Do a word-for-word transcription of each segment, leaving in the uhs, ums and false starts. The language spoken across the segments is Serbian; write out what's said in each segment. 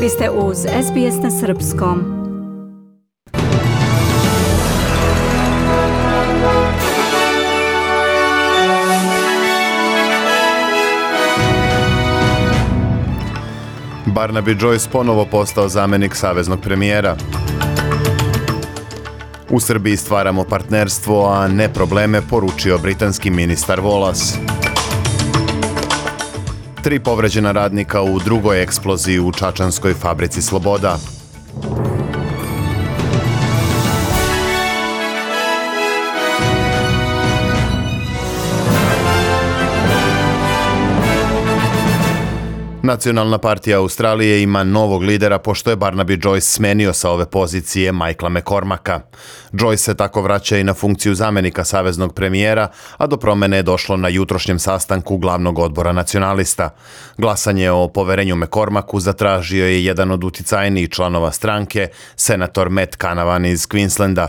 Vi ste uz S B S na srpskom. Barnaby Joyce ponovo postao zamjenik saveznog premijera. U Srbiji stvaramo partnerstvo, a ne probleme, poručio britanski ministar Wallace. Tri povređena radnika u drugoj eksploziji u čačanskoj fabrici Sloboda. Nacionalna partija Australije ima novog lidera pošto je Barnaby Joyce smenio sa ove pozicije Michaela McCormacka. Joyce se tako vraća i na funkciju zamjenika saveznog premijera, a do promjene je došlo na jutrošnjem sastanku glavnog odbora nacionalista. Glasanje o poverenju McCormacku zatražio je jedan od uticajnijih članova stranke, senator Matt Canavan iz Queenslanda.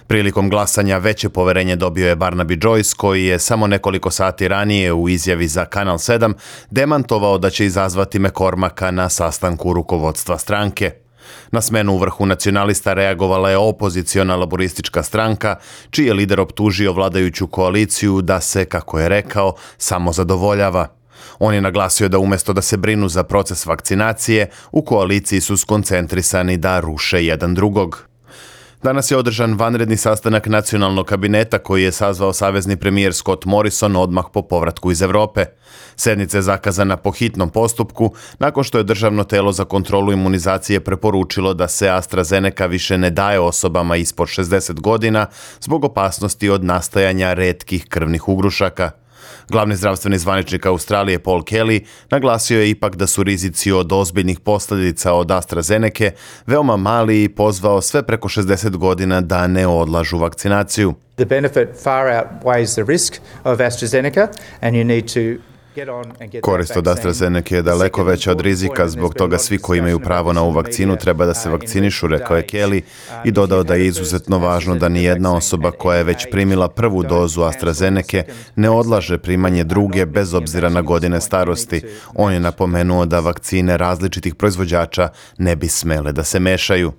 Prilikom glasanja veće poverenje dobio je Barnaby Joyce, koji je samo nekoliko sati ranije u izjavi za Kanal sedam demantovao da će izazvati McCormacka na sastanku rukovodstva stranke. Na smenu u vrhu nacionalista reagovala je opoziciona laboristička stranka, čiji je lider optužio vladajuću koaliciju da se, kako je rekao, samo zadovoljava. On je naglasio da umjesto da se brinu za proces vakcinacije, u koaliciji su skoncentrisani da ruše jedan drugog. Danas je održan vanredni sastanak nacionalnog kabineta koji je sazvao savezni premijer Scott Morrison odmah po povratku iz Europe. Sednica je zakazana po hitnom postupku nakon što je državno telo za kontrolu imunizacije preporučilo da se AstraZeneca više ne daje osobama ispod šezdeset godina zbog opasnosti od nastajanja retkih krvnih ugrušaka. Glavni zdravstveni zvaničnik Australije Paul Kelly naglasio je ipak da su rizici od ozbiljnih posljedica od AstraZenece veoma mali i pozvao sve preko šezdeset godina da ne odlažu vakcinaciju. The benefit far outweighs the risk of AstraZeneca and you need to Korist od AstraZeneca je daleko veća od rizika, zbog toga svi koji imaju pravo na ovu vakcinu treba da se vakcinišu, rekao je Kelly i dodao da je izuzetno važno da ni jedna osoba koja je već primila prvu dozu AstraZeneca ne odlaže primanje druge bez obzira na godine starosti. On je napomenuo da vakcine različitih proizvođača ne bi smele da se mešaju.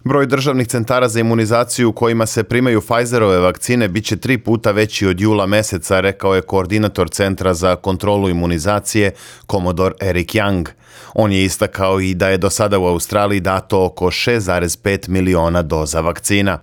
Broj državnih centara za imunizaciju u kojima se primaju Pfizerove vakcine bit će tri puta veći od jula meseca, rekao je koordinator Centra za kontrolu imunizacije, komodor Eric Young. On je istakao i da je do sada u Australiji dato oko šest zarez pet miliona doza vakcina.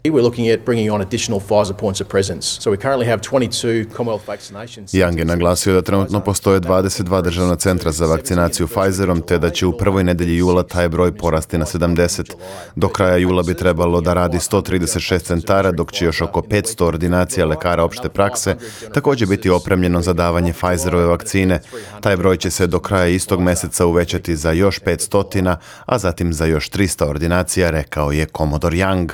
Young je naglasio da trenutno postoje dvadeset dva državna centra za vakcinaciju Pfizerom, te da će u prvoj nedelji jula taj broj porasti na sedamdeset. Do kraja jula bi trebalo da radi sto trideset šest centara, dok će još oko petsto ordinacija lekara opšte prakse također biti opremljeno za davanje Pfizerove vakcine. Taj broj će se do kraja istog meseca uvećati za još petsto, a zatim za još tristo ordinacija, rekao je komodor Young.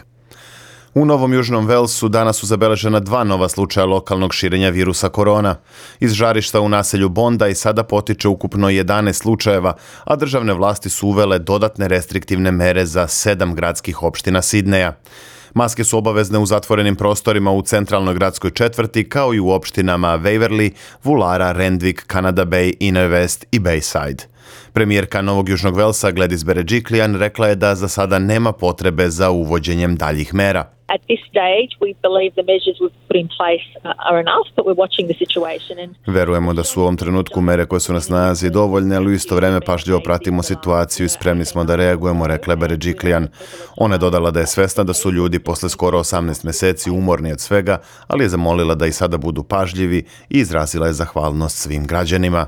U Novom Južnom Walesu danas su zabeležena dva nova slučaja lokalnog širenja virusa korona. Iz žarišta u naselju Bondi sada potiče ukupno jedanaest slučajeva, a državne vlasti su uvele dodatne restriktivne mere za sedam gradskih opština Sidneja. Maske su obavezne u zatvorenim prostorima u centralnoj gradskoj četvrti, kao i u opštinama Waverley, Woollahra, Randwick, Canada Bay, Inner West i Bayside. Premijerka Novog Južnog Velsa Gladys Berejiklian rekla je da za sada nema potrebe za uvođenjem daljih mera. At this stage, we believe the measures we've put in place are enough, but we're watching the situation. And... Verujemo da su u ovom trenutku mere koje su na snazi dovoljne, ali u isto vreme pažljivo pratimo situaciju i spremni smo da reagujemo, rekla je Berejiklian. Ona je dodala da je svesna da su ljudi posle skoro osamnaest meseci umorni od svega, ali je zamolila da i sada budu pažljivi i izrazila je zahvalnost svim građanima.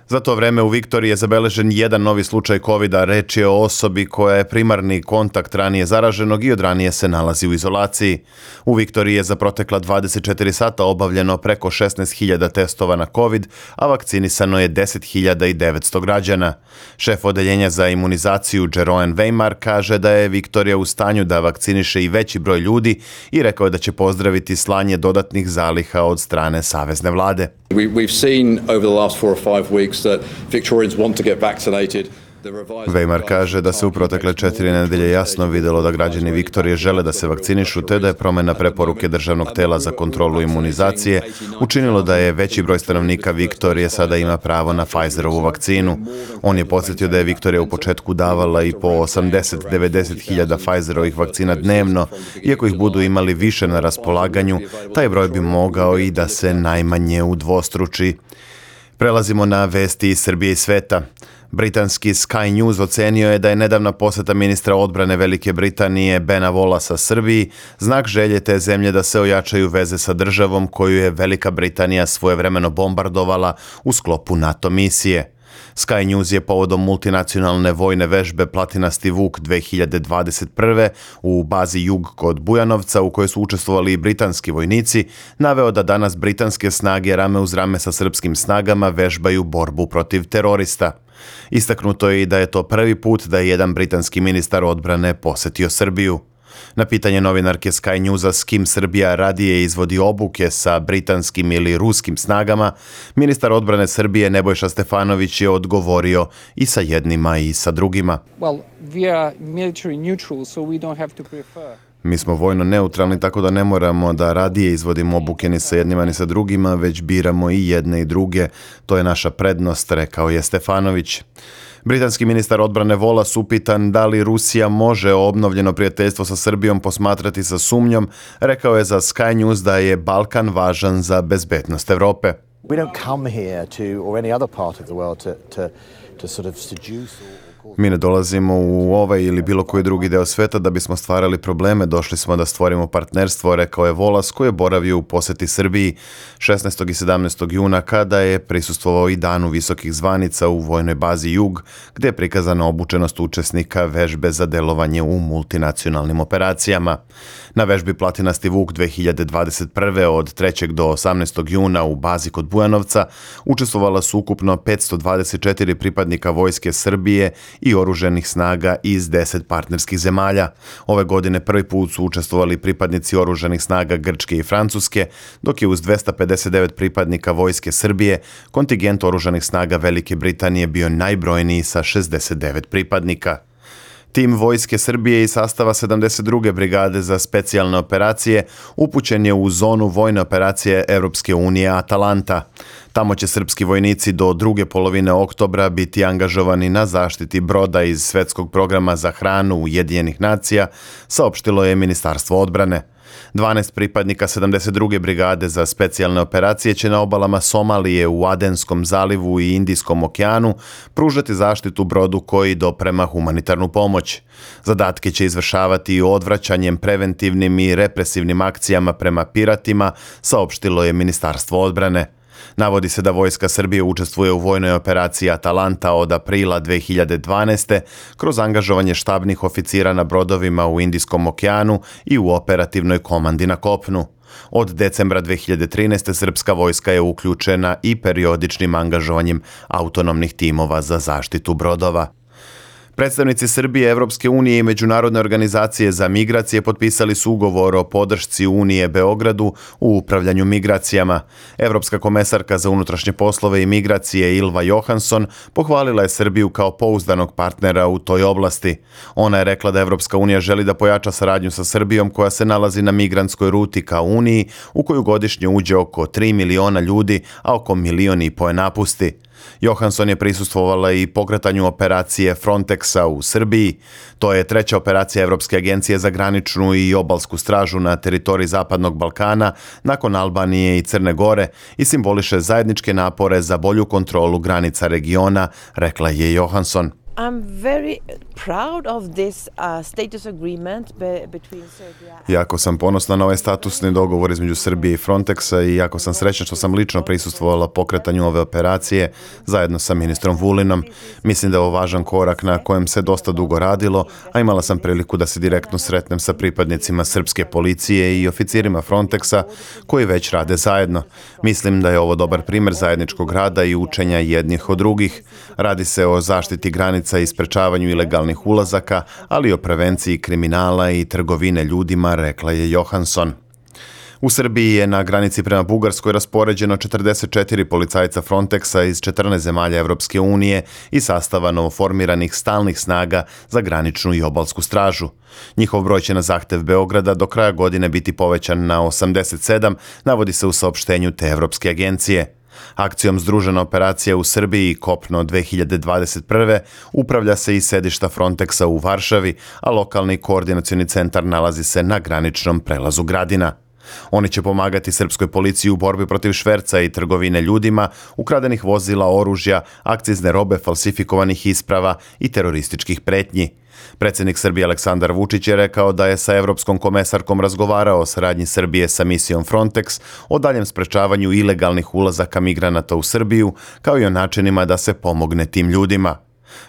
Za to vreme u Viktoriji je zabeležen jedan novi slučaj kovida, reč je o osobi koja je primarni kontakt ranije zaraženog i od ranije se nalazi u izolaciji. U Viktoriji je za protekla dvadeset četiri sata obavljeno preko šesnaest hiljada testova na covid, a vakcinisano je deset hiljada devetsto građana. Šef odeljenja za imunizaciju Jeroen Weimar kaže da je Viktorija u stanju da vakciniše i veći broj ljudi i rekao je da će pozdraviti slanje dodatnih zaliha od strane savezne vlade. We, we've seen over the last four or five weeks that Victorians want to get vaccinated. Weimar kaže da se u protekle četiri nedelje jasno vidjelo da građani Viktorije žele da se vakcinišu, te da je promjena preporuke Državnog tela za kontrolu imunizacije učinilo da je veći broj stanovnika Viktorije sada ima pravo na Pfizerovu vakcinu. On je podsjetio da je Viktorija u početku davala i po osamdeset do devedeset hiljada Pfizerovih vakcina dnevno. Iako ih budu imali više na raspolaganju, taj broj bi mogao i da se najmanje udvostruči. Prelazimo na vesti iz Srbije i sveta. Britanski Sky News ocenio je da je nedavna posjeta ministra odbrane Velike Britanije Bena Wallacea Srbiji znak želje te zemlje da se ojačaju veze sa državom koju je Velika Britanija svojevremeno bombardovala u sklopu NATO misije. Sky News je povodom multinacionalne vojne vežbe Platinasti Vuk dve hiljade dvadeset prve u bazi Jug kod Bujanovca, u kojoj su učestvovali i britanski vojnici, naveo da danas britanske snage rame uz rame sa srpskim snagama vežbaju borbu protiv terorista. Istaknuto je i da je to prvi put da je jedan britanski ministar odbrane posjetio Srbiju. Na pitanje novinarke Sky Newsa s kim Srbija radije izvodi obuke sa britanskim ili ruskim snagama, ministar odbrane Srbije Nebojša Stefanović je odgovorio i sa jednima i sa drugima. Well, we are military neutral, so we don't have to prefer. Mi smo vojno neutralni, tako da ne moramo da radije izvodimo obuke ni sa jednima ni sa drugima, već biramo i jedne i druge. To je naša prednost, rekao je Stefanović. Britanski ministar odbrane Wallace upitan da li Rusija može obnovljeno prijateljstvo sa Srbijom posmatrati sa sumnjom, rekao je za Sky News da je Balkan važan za bezbednost Evrope. We don't come here to, or any other part of the world, to, to, to sort of seduce or Mi ne dolazimo u ovaj ili bilo koji drugi deo sveta da bismo stvarali probleme, došli smo da stvorimo partnerstvo, rekao je Wallace koji je boravio u posjeti Srbiji šesnaestog i sedamnaestog juna kada je prisustvovao i danu visokih zvanica u vojnoj bazi Jug, gdje je prikazana obučenost učesnika vežbe za delovanje u multinacionalnim operacijama. Na vežbi Platinasti Vuk dve hiljade dvadeset prve od trećeg do osamnaestog juna u bazi kod Bujanovca učestvovala su ukupno petsto dvadeset četiri pripadnika vojske Srbije i oruženih snaga iz deset partnerskih zemalja. Ove godine prvi put su učestvovali pripadnici oruženih snaga Grčke i Francuske, dok je uz dvesta pedeset devet pripadnika vojske Srbije kontingent oruženih snaga Velike Britanije bio najbrojniji sa šezdeset devet pripadnika. Tim vojske Srbije iz sastava sedamdeset druge brigade za specijalne operacije upućen je u zonu vojne operacije Europske unije Atalanta. Tamo će srpski vojnici do druge polovine oktobra biti angažovani na zaštiti broda iz Svetskog programa za hranu Ujedinjenih nacija, saopštilo je Ministarstvo odbrane. dvanaest pripadnika sedamdeset druge brigade za specijalne operacije će na obalama Somalije, u Adenskom zalivu i Indijskom okeanu pružati zaštitu brodu koji doprema humanitarnu pomoć. Zadatke će izvršavati odvraćanjem, preventivnim i represivnim akcijama prema piratima, saopštilo je Ministarstvo odbrane. Navodi se da vojska Srbije učestvuje u vojnoj operaciji Atalanta od aprila dve hiljade dvanaeste kroz angažovanje štabnih oficira na brodovima u Indijskom okeanu i u operativnoj komandi na kopnu. Od decembra dve hiljade trinaeste srpska vojska je uključena i periodičnim angažovanjem autonomnih timova za zaštitu brodova. Predstavnici Srbije, Evropske unije i Međunarodne organizacije za migracije potpisali su ugovor o podršci Unije Beogradu u upravljanju migracijama. Evropska komesarka za unutrašnje poslove i migracije Ylva Johansson pohvalila je Srbiju kao pouzdanog partnera u toj oblasti. Ona je rekla da Evropska unija želi da pojača saradnju sa Srbijom koja se nalazi na migrantskoj ruti ka Uniji u koju godišnje uđe oko tri miliona ljudi, a oko milion i po je napusti. Johansson je prisustvovala i pokretanju operacije Frontexa u Srbiji. To je treća operacija Evropske agencije za graničnu i obalsku stražu na teritoriji Zapadnog Balkana nakon Albanije i Crne Gore i simboliše zajedničke napore za bolju kontrolu granica regiona, rekla je Johansson. I'm very proud of this uh, status agreement be- between Serbia and... Jako sam ponosna na ovaj statusni dogovor između Srbije i Frontexa i jako sam srećna što sam lično prisustvovala pokretanju ove operacije zajedno sa ministrom Vulinom. Mislim da je ovo važan korak na kojem se dosta dugo radilo, a imala sam priliku da se direktno sretnem sa pripadnicima srpske policije i oficirima Frontexa koji već rade zajedno. Mislim da je ovo dobar primjer zajedničkog rada i učenja jednih od drugih. Radi se o zaštiti granica i sprečavanju ilegalnih ulazaka, ali i o prevenciji kriminala i trgovine ljudima, rekla je Johansson. U Srbiji je na granici prema Bugarskoj raspoređeno četrdeset četiri policajca Frontexa iz četrnaest zemalja Evropske unije i sastava novoformiranih stalnih snaga za graničnu i obalsku stražu. Njihov broj će na zahtev Beograda do kraja godine biti povećan na osamdeset sedam, navodi se u saopštenju te Evropske agencije. Akcijom Združena operacija u Srbiji i Kopno dve hiljade dvadeset prve upravlja se iz sedišta Frontexa u Varšavi, a lokalni koordinacioni centar nalazi se na graničnom prelazu Gradina. Oni će pomagati srpskoj policiji u borbi protiv šverca i trgovine ljudima, ukradenih vozila, oružja, akcizne robe, falsifikovanih isprava i terorističkih pretnji. Predsjednik Srbije Aleksandar Vučić je rekao da je sa evropskom komesarkom razgovarao o saradnji Srbije sa misijom Frontex, o daljem sprečavanju ilegalnih ulazaka migranata u Srbiju, kao i o načinima da se pomogne tim ljudima.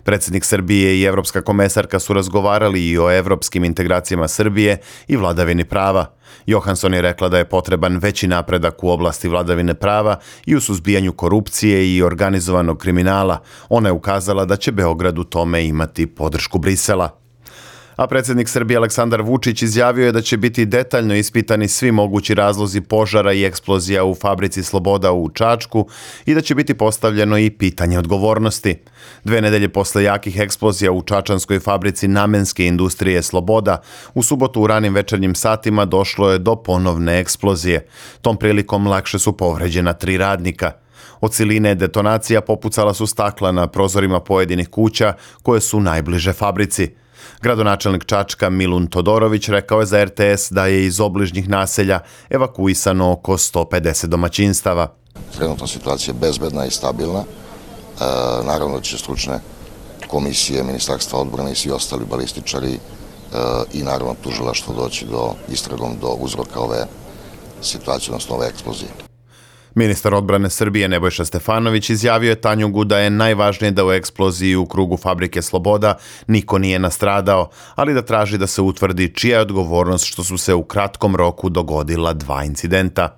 Predsjednik Srbije i evropska komesarka su razgovarali i o evropskim integracijama Srbije i vladavini prava. Johansson je rekla da je potreban veći napredak u oblasti vladavine prava i u suzbijanju korupcije i organizovanog kriminala. Ona je ukazala da će Beograd u tome imati podršku Brisela. A predsjednik Srbije Aleksandar Vučić izjavio je da će biti detaljno ispitani svi mogući razlozi požara i eksplozija u fabrici Sloboda u Čačku i da će biti postavljeno i pitanje odgovornosti. Dve nedelje posle jakih eksplozija u čačanskoj fabrici namenske industrije Sloboda, u subotu u ranim večernjim satima došlo je do ponovne eksplozije. Tom prilikom lakše su povređena tri radnika. Od siline detonacija popucala su stakla na prozorima pojedinih kuća koje su najbliže fabrici. Gradonačelnik Čačka Milun Todorović rekao je za er te es da je iz obližnjih naselja evakuisano oko sto pedeset domaćinstava. Trenutna situacija je bezbedna i stabilna. E, naravno da će stručne komisije, Ministarstva odbrane i svi ostali balističari e, i naravno tužilaštvo doći do istragom do uzroka ove situacije, odnosno ove eksplozije. Ministar odbrane Srbije Nebojša Stefanović izjavio je Tanjugu da je najvažnije da u eksploziji u krugu fabrike Sloboda niko nije nastradao, ali da traži da se utvrdi čija je odgovornost što su se u kratkom roku dogodila dva incidenta.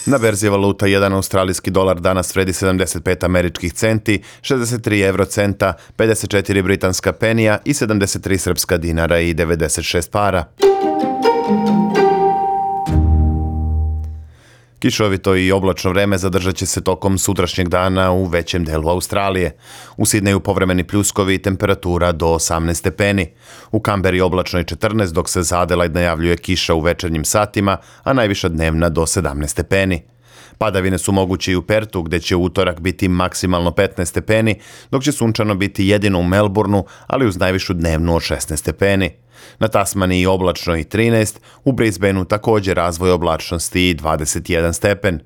Na berzi valuta jedan australijski dolar danas vredi sedamdeset pet američkih centi, šezdeset tri evrocenta, pedeset četiri britanska penija i sedamdeset tri srpska dinara i devedeset šest para. Kišovito i oblačno vreme zadržat će se tokom sutrašnjeg dana u većem delu Australije. U Sidneju povremeni pljuskovi i temperatura do osamnaest stepeni. U Kamberi oblačno i četrnaest, dok se za Adelaide najavljuje kiša u večernjim satima, a najviša dnevna do sedamnaest stepeni. Padavine su moguće i u Pertu, gde će u utorak biti maksimalno petnaest stepeni, dok će sunčano biti jedino u Melbourneu, ali uz najvišu dnevnu od šesnaest stepeni. Na Tasmaniji oblačno i trinaest, u Brisbaneu također razvoj oblačnosti i dvadeset jedan stepen.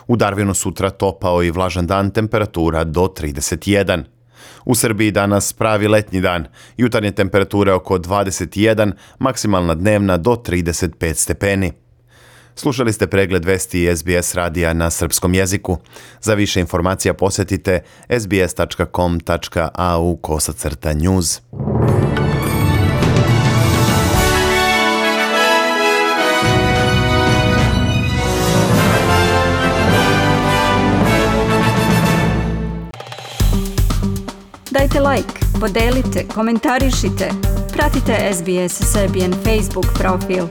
U Darwinu sutra topao i vlažan dan, temperatura do trideset jedan. U Srbiji danas pravi letnji dan, jutarnje temperature oko dvadeset jedan, maksimalna dnevna do trideset pet stepeni. Slušali ste pregled vesti es be es radija na srpskom jeziku. Za više informacija posjetite es be es tačka com tačka a u kosacrta news. Dajte like, podelite, komentarišite. Pratite es be es Serbian Facebook profil.